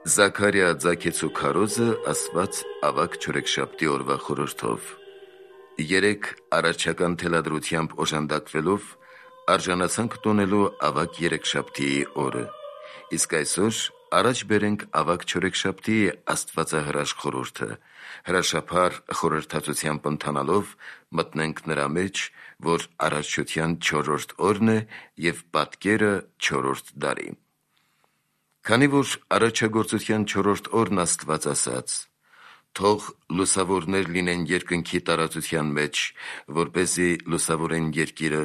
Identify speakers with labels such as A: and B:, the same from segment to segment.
A: Զաքարիա ձագեցու քարոզը ասված ավագ չորեքշաբթի օրվա խորհրդով։ 3 արարչական թելադրությամբ օժանդակվելով արժանացանք տոնելու ավագ երեքշաբթիի օրը։ Իսկ այսօր առաջ բերենք ավագ չորեքշաբթի աստվածահրաշ խորհուրդը, հրաշափառ խորհրդածությամբ ընթանալով մտնենք նրա մեջ, որ արարչության 4-րդ օրն է և պատկերը 4-րդ դարի։ Քանի որ արարչագործության 4-րդ օրն Աստված ասաց. «Թող լուսավորներ լինեն երկնքի տարածության մեջ, որպեսզի լուսավորեն երկիրը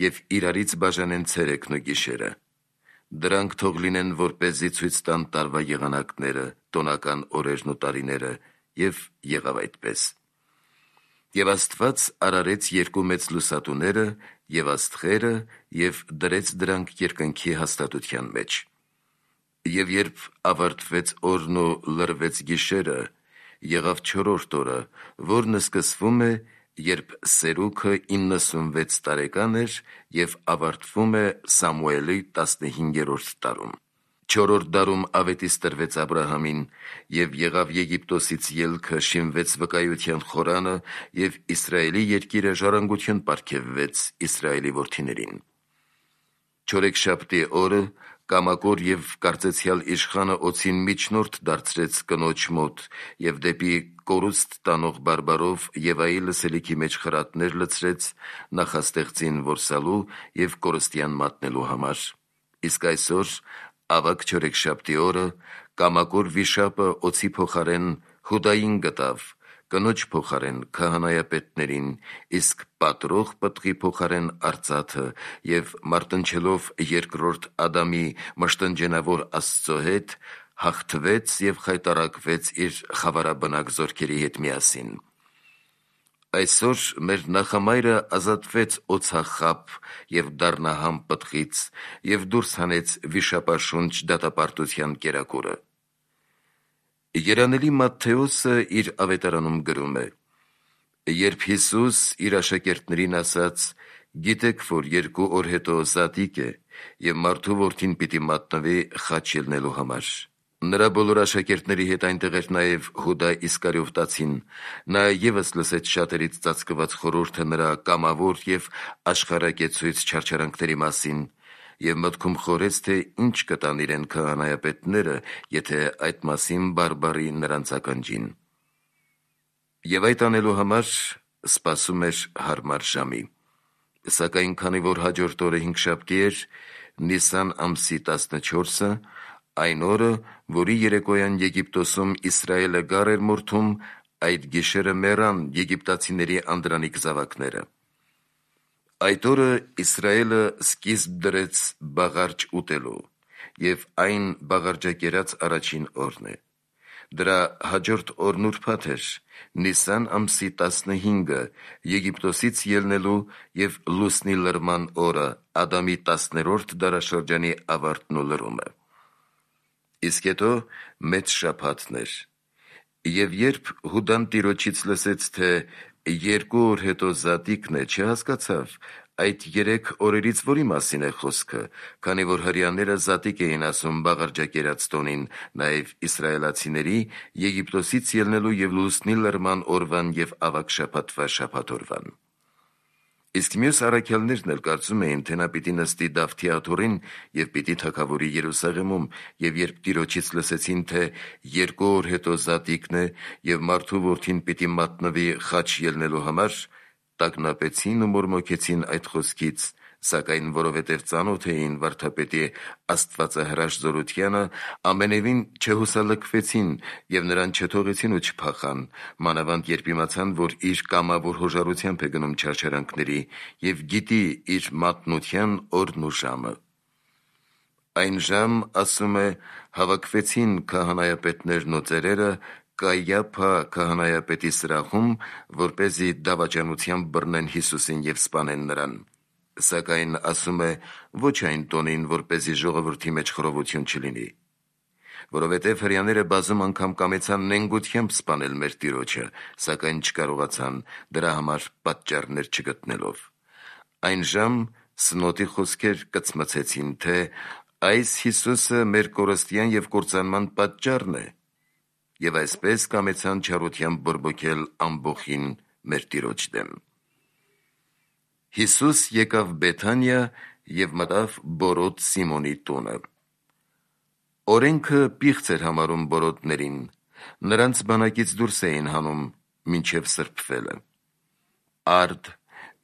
A: և իրարից բաժանեն ցերեկն ու գիշերը։ Դրանք թող լինեն, որպեսզի ցույց տան տարվա եղանակները, տոնական օրերն ու տարիները, և եղավ այդպես։ Եվ Աստված արարեց երկու մեծ լուսատուները և աստղերը և դրեց դրանք երկնքի հաստատության մեջ։ Եվ երբ ավարտվեց օրն ու լռվեց գիշերը, եղավ 4-րդ օրը, որն սկսվում է, երբ Սերուգը 96 տարեկան էր և ավարտվում է Սամուելի 15-րդ տարում։ 4-րդ դարում ավետիս տրվեց Աբրահամին, և եղավ Եգիպտոսից ելքը, շինվեց վկայության խորանը, և Իսրայելի երկիրը ժառանգություն պարգևվեց Իսրայելի որդիներին։ Չորեքշաբթի օրը կամակոր և կարծեցյալ իշխանը օձին միջնորդ դարձրեց կնոջ մոտ և դեպի կորուստ տանող բարբարով Եվայի լսելիքի մեջ խրատներ լցրեց նախաստեղծին որսալու և կորստյան մատնելու համար։ Իսկ այսօր, ավագ չորեքշաբթի օրը, կամակոր վիշապը օձի փոխարեն Հուդային գտավ, կնոջ փոխարեն քահանայապետներին, իսկ պատրող պտղի փոխարեն արծաթը, և մարտնչելով երկրորդ Ադամի մշտնջենավոր Աստծո հետ, հաղթվեց և խայտառակվեց իր խավարաբնակ զորքերի հետ միասին։ Այսօր մեր նախամայրը ազատվեց օձախապ և դառնահամ պտղից և դուրս հանեց վիշապաշունչ դատապարտության կերակուրը։ Երանելի Մատթեոսը իր ավետարանում գրում է. «Երբ Հիսուս իր աշակերտներին ասաց. «Գիտեք, որ 2 օր հետո Զատիկ է, և մարդու որդին պիտի մատնվի խաչ ելնելու համար»։ Նրա բոլոր աշակերտների հետ այնտեղ էր նաև Հուդա Իսկարիովտացին։ Նա ևս լսեց շատերից ծածկված խորհուրդը նրա կամավոր և աշխարհակեցույց չարչարանքների մասին և մտքում խորեց, թե ինչ կտան իրեն քահանայապետները, եթե այդ մասին բարբառի նրանց ականջին։ Եվ այդ անելու համար սպասում էր հարմար ժամի։ Սակայն քանի որ հաջորդ օրը հինգշաբթի էր, Նիսան ամսի 14-ը, այն օրը, որի երեկոյան Եգիպտոսում Իսրայելը գառ էր մորթում, այդ գիշերը մեռան եգիպտացիների անդրանիկ զավակները։ Այդ օրը Իսրայելը սկիզբ դրեց բաղարջ ուտելու, և այն բաղարջակերած առաջին օրն է։ Դրա հաջորդ օրն ուրբաթ էր, Նիսան ամսի 15-ը, Եգիպտոսից ելնելու և լուսնի լրման օրը, Ադամի 10-րդ դարաշրջանի ավարտն ու լրումը։ Իսկ հետո մեծ շաբաթն էր։ Եվ երբ Հուդան Տիրոջից լսեց, թե 2 օր հետո Զատիկն է, չհասկացավ այդ 3 օրերից որի մասին է խոսքը, քանի որ հրեաները Զատիկ էին ասում բաղարջակերած տոնին, նաև իսրայելացիների Եգիպտոսից ելնելու և լուսնի լրման օրվան և ավագ շաբաթվա շաբաթ օրվան։ Իսկ մյուս առաքյալներն էլ կարծում էին, թե նա պիտի նստի Դավթի աթոռին և պիտի թագավորի Երուսաղեմում, և երբ Տիրոջից լսեցին, թե 2 օր հետո Զատիկն է և մարդու որդին պիտի մատնվի խաչ ելնելու համար, տագնապեցին ու մորմոքեցին այդ խոսքից, սակայն որովհետև ծանոթ էին վարդապետի աստվածահրաշ զորությանը, ամենևին չհուսալքվեցին և նրան չթողեցին ու չփախան, մանավանդ երբ իմացան, որ իր կամավոր հոժարությամբ է գնում չարչարանքների և գիտի իր մատնության օրն ու ժամը։ Այն ժամ, ասում է, հավաքվեցին քահանայապետներն ու ծերերը Կայիափա քահանայապետի սրահում, որպեսզի դավաճանությամբ բռնեն Հիսուսին և սպանեն նրան։ Սակայն, ասում է, ոչ այն տոնին, որպեսզի ժողովրդի մեջ խռովություն չլինի։ Որովհետև հրեաները բազում անգամ կամեցան նենգությամբ սպանել մեր Տիրոջը, սակայն չկարողացան, դրա համար պատճառներ չգտնելով։ Այն ժամ սնոտի խոսքեր կծմցեցին, թե Այս Հիսուսը մեր կորստյան և կործանման պատճառն է, և այսպես կամեցան չարությամբ բորբոքել ամբոխին մեր Տիրոջ դեմ։ Հիսուս եկավ Բեթանիա և մտավ Բորոտ Սիմոնի տունը։ Օրենքը պիղծ էր համարում բորոտներին, նրանց բանակից դուրս էին հանում մինչև սրբվելը։ Արդ,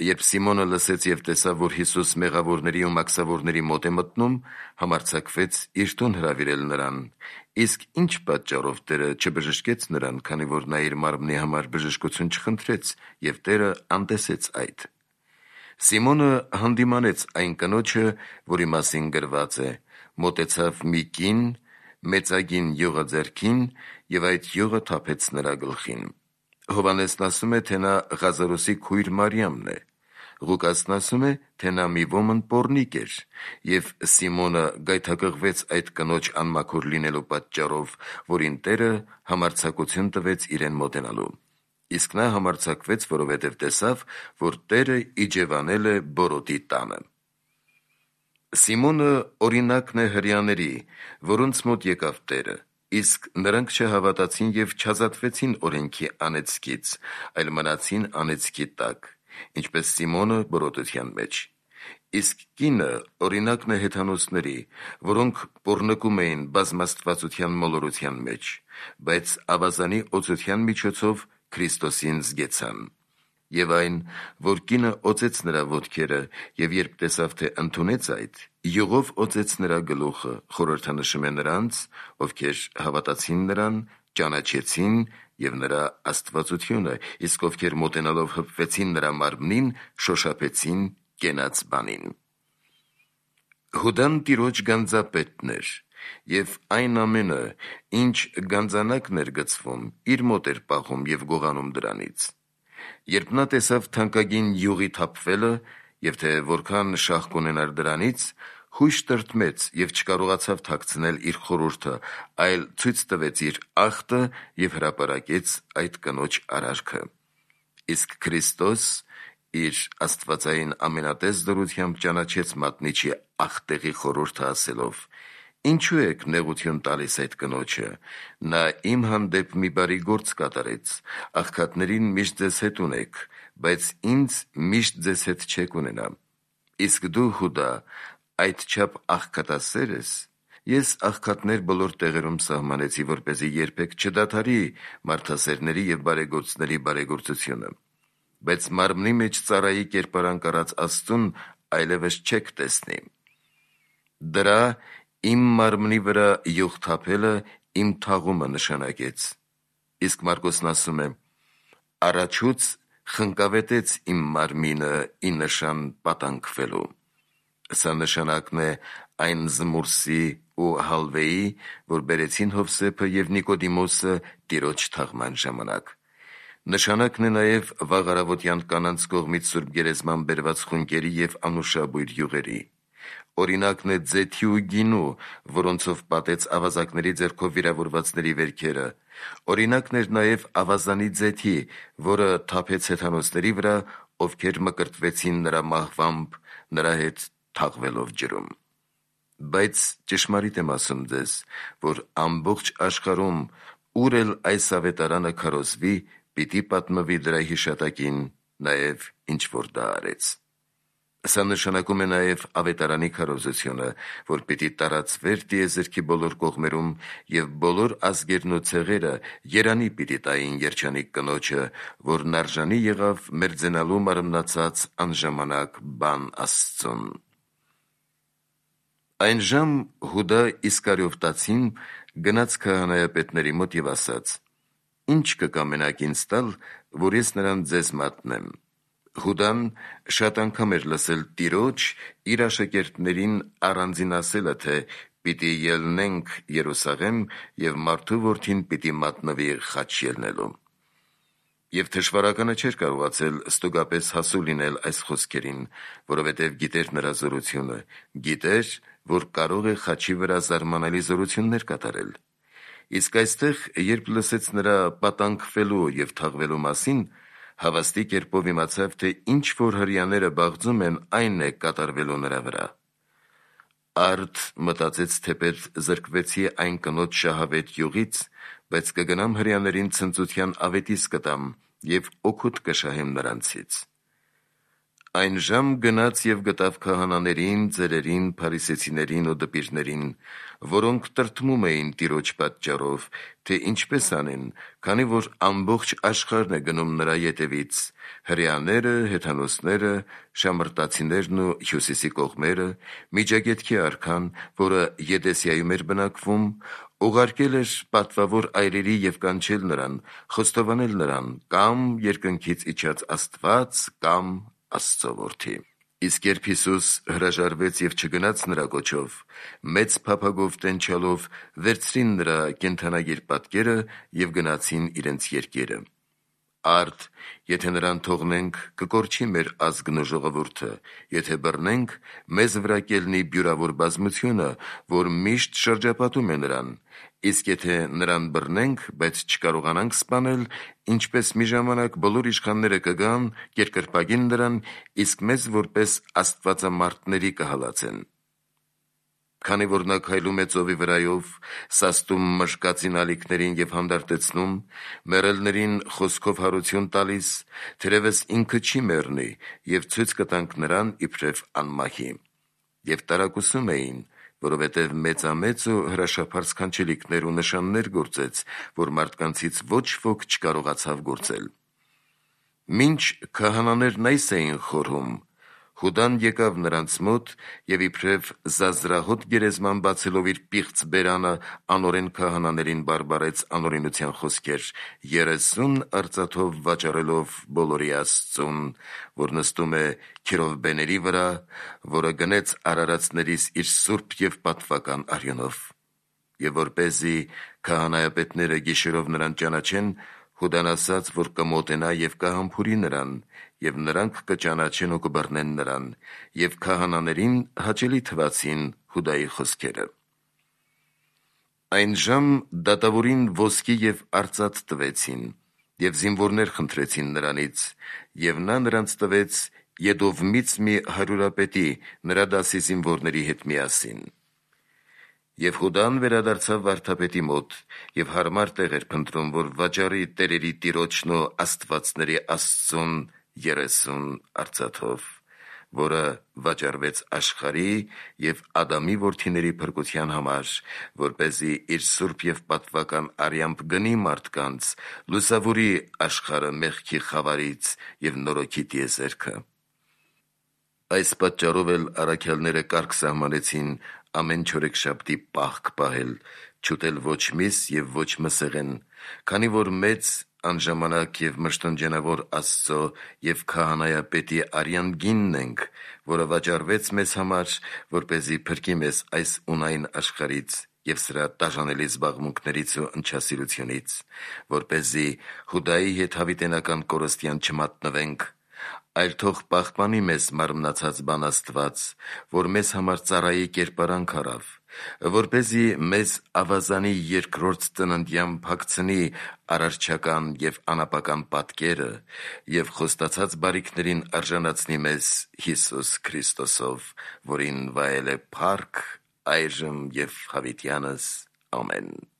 A: երբ Սիմոնը լսեց և տեսավ, որ Հիսուս մեղավորների ու մաքսավորների մոտ է մտնում, համարձակվեց իր տուն հրավիրել նրան, իսկ ինչ պատճառով Տերը չբժշկեց նրան, քանի որ նա իր մարմնի համար բժշկություն չխնդրեց, և Տերը անտեսեց այդ։ Սիմոնը հանդիմանեց այն կնոջը, որի մասին գրված է. մոտեցավ մի կին, մեծագին յուղը ձեռքին, և այդ յուղը թափեց նրա գլխին։ Հովհաննեսն ասում է, թե նա Ղազարոսի քույր Մարիամն է։ Ղուկասն ասում է, թե նա մի ոմն պոռնիկ էր, և Սիմոնը գայթակղվեց այդ կնոջ անմաքուր լինելու պատճառով, որին Տերը համարձակություն տվեց իրեն մոտենալու։ Իսկ նա համարձակվեց, որովհետև տեսավ, որ Տերը իջևանել է Բորոտի տանը։ Սիմոնը օրինակն է հրեաների, որոնց մոտ եկավ Տերը, իսկ նրանք չհավատացին և չազատվեցին օրենքի անեծքից, այլ մնացին անեծքի տակ, ինչպես Սիմոնը բորոտության մեջ։ Իսկ կինը օրինակն է հեթանոսների, որոնք պոռնկում էին բազմաստվածության մոլորության մեջ, բայց ավազանի օծության միջոցով Քրիստոսին զգեցան։ Եվ այն, որ կինը օծեց նրա ոտքերը, և երբ տեսավ, թե ընդունեց այդ, յուղով օծեց նրա գլուխը, խորհրդանշում է նրանց, ովքեր հավատացին նրան, ճանաչեցին և նրա աստվածությունը, իսկ ովքեր մոտենալով հպվեցին նրա մարմնին, շոշափեցին կենաց բանին։ Հուդան Տիրոջ գանձապետն էր, և այն ամենը, ինչ գանձանակն էր գցվում, իր մոտ էր պահում և գողանում դրանից։ Երբ նա տեսավ թանկագին յուղի թափվելը, և թե որքան շահ կունենար դրանից, հույժ տրտմեց և չկարողացավ թաքցնել իր խորհուրդը, այլ ցույց տվեց իր ախտը և հրապարակեց այդ կնոջ արարքը։ Իսկ Քրիստոս իր աստվածային ամենատես դրությամբ ճանաչեց մատնիչի ախտեղի խորհուրդը, ասելով. «Ինչու եք նեղություն տալիս այդ կնոջը, նա իմ հանդեպ մի բարի գործ կատարեց, աղքատներին միշտ ձեզ հետ ունեք, բայց ինձ միշտ ձեզ հետ չեք ունենա։ Իսկ դու, Հուդա, այդչափ աղքատասեր ես։ Ես աղքատներ բոլոր տեղերում սահմանեցի, որպեսզի երբեք չդադարի մարդասերների և բարեգործների բարեգործությունը։ Բայց մարմնի մեջ ծառայի կերպարանք առած Աստծուն այլևս չեք տեսնի։ Դրա իմ մարմնի վրա յուղ թափելը իմ թաղումը նշանակեց»։ Իսկ Մարկոսն ասում է. «Առաջուց խնկավետեց իմ մարմինը ի նշան պատանքվելու»։ Սա նշանակն է այն զմուրսի ու հալվեի, որ բերեցին Հովսեփը և Նիկոդիմոսը Տիրոջ թաղման ժամանակ։ Նշանակն է նաև վաղ առավոտյան կանանց կողմից Սուրբ Գերեզման բերված խունկերի և անուշաբույր յուղերի։ Օրինակն է ձեթի ու գինու, որոնցով պատեց ավազակների ձեռքով վիրավորվածների վերքերը։ Օրինակն էր նաև ավազանի ձեթի, որը թափեց հեթանոսների վրա, ովքեր մկրտվեցին նրա մահվամբ, նրա հետ թաղվելով ջրում։ Բայց ճշմարիտ եմ ասում ձեզ, որ ամբողջ աշխարհում ուր էլ այս ավետարանը քարոզվի, պիտի պատմվի դրա հիշատակին, նաև ինչ որ դա արեց։ Սա նշանակում է նաև ավետարանի քարոզությունը, որ պիտի տարածվեր տիեզերքի բոլոր կողմերում, և բոլոր ազգերն ու ցեղերը երանի պիտի տային երջանիկ կնոջը, որն արժանի եղավ մերձենալու մարմնացած անժամանակ բան Աստծուն։ Այնժամ Հուդա Իսկարիովտացին գնաց քահանայապետների մոտ և ասաց. «Ի՞նչ կկամենաք ինձ տալ, որ ես նրան ձեզ մատնեմ»։ Հուդան շատ անգամ էր լսել Տիրոջ իր աշակերտներին առանձին ասելը, թե «պիտի ելնենք Երուսաղեմ, և մարդու որդին պիտի մատնվի խաչ ելնելու»։ Եվ թշվառականը չէր կարողացել ստուգապես հասու լինել այս խոսքերին, որովհետև գիտեր նրա զորությունը, գիտեր, որ կարող է խաչի վրա զարմանալի զորություններ կատարել։ Իսկ այստեղ, երբ լսեց նրա պատանքվելու և թաղվելու մասին, հավաստի կերպով իմացավ, թե ինչ որ հրեաները բաղձում են, այն է կատարվելու նրա վրա։ Արդ մտածեց թեպետ զրկվեցի այն կնոջ շահավետ յուղից, բայց կգնամ հրեաներին ցնծության ավետիս կտամ և օգուտ կշահեմ նրանցից։ Այն ժամ գնաց և գտավ քահանաներին, ծերերին, փարիսեցիներին ու դպիրներին, որոնք տրտմում էին Տիրոջ պատճառով, թե ինչպես անեն, քանի որ ամբողջ աշխարհն է գնում նրա ետևից, հրեաները, հեթանոսները, շամրտացիներն ու հյուսիսի կողմերը, Միջագետքի արքան, որը Եդեսիայում էր բնակվում, ուղարկել էր պատվավոր այրերի և կանչել նրան, խոստովանել նրան կամ երկնքից իջած Աստված, կամ Աստծո որդի։ Իսկ երբ Հիսուս հրաժարվեց և չգնաց նրա կոչով, մեծ փափագով տենչալով վերցրին նրա կենդանագիր պատկերը և գնացին իրենց երկիրը։ Արդ, եթե նրան թողնենք, կկորչի մեր ազգն ու ժողովուրդը, եթե բռնենք, մեզ վրա կելնի բյուրավոր բազմությունը, որ միշտ շրջապատում է նրան, իսկ եթե նրան բռնենք, բայց չկարողանանք սպանել, ինչպես մի ժամանակ բոլոր իշխանները կգան, կերկրպագին նրան, իսկ մեզ որպես աստվածամարտների կհալածեն։ Քանի որ նա քայլում է ծովի վրայով, սաստում մշկածին ալիքներին և հանդարտեցնում, մեռելներին խոսքով հարություն տալիս, թերևս ինքը չի մեռնի, և ցույց կտանք նրան իբրև անմահի։ Եվ տարակուսում էին, որովհետև մեծամեծ ու հրաշափառ սքանչելիքներ ու նշաններ գործեց, որ մարդկանցից ոչ ոք չկարողացավ գործել։ Մինչ քահանաներն այս էին խորհում, Հուդան եկավ նրանց մոտ և իբրև զազրահոտ գերեզման բացելով իր պիղծ բերանը անօրեն քահանաներին բարբարեց անօրենության խոսքեր, 30 արծաթով վաճառելով բոլորի Աստծուն, որ նստում է քերովբեների վրա, որը գնեց արարածներիս իր սուրբ և պատվական արյունով։ Եվ որպեսզի քահանայապետները գիշերով նրան ճանաչեն, Հուդան ասաց, որ կմոտենա և կհամբուրի նրան, և նրանք կճանաչեն ու կբռնեն նրան, և քահանաներին հաճելի թվացին Հուդայի խոսքերը։ Այն ժամ դատավորին ոսկի և արծաթ տվեցին, և զինվորներ խնդրեցին նրանից, և նա նրանց տվեց Եդովմից մի հարյուրապետի, նրա դասի զինվորների հետ միասին։ Եվ Հուդան վերադարձավ վարդապետի մոտ և հարմար տեղ էր փնտրում, որ վաճառի տերերի Տիրոջն ու աստվածների Աստծուն 30 արծաթով, որը վաճառվեց աշխարհի և Ադամի որդիների փրկության համար, որպեսզի իր սուրբ և պատվական արյամբ գնի մարդկանց, լուսավորի աշխարհը մեղքի խավարից և նորոգի տիեզերքը։ Այս պատճառով էլ առաքյալները կարգ սահմանեցին ամեն չորեքշաբթի պահք պահել, չուտել ոչ միս և ոչ մսեղեն, քանի որ մեծ, անժամանակ և մշտնջենավոր Աստծո և քահանայապետի արյան գինն ենք, որը վաճառվեց մեզ համար, որպեսզի փրկի մեզ այս ունայն աշխարհից և սրա տաժանելի զբաղմունքներից ու ընչասիրությունից, որպեսզի Հուդայի հետ հավիտենական կորստյան չմատնվենք, այլ թող պահպանի մեզ մարմնացած բան Աստված, որ մեզ համար ծառայի կերպարանք առավ, որպեսզի մեզ ավազանի երկրորդ ծննդյան փակցնի արարչական և անապական պատկերը և խոստացած բարիքներին արժանացնի մեզ Հիսուս Քրիստոսով, որին վայել է փառք, այժմ և հավիտյանս։ Ամեն։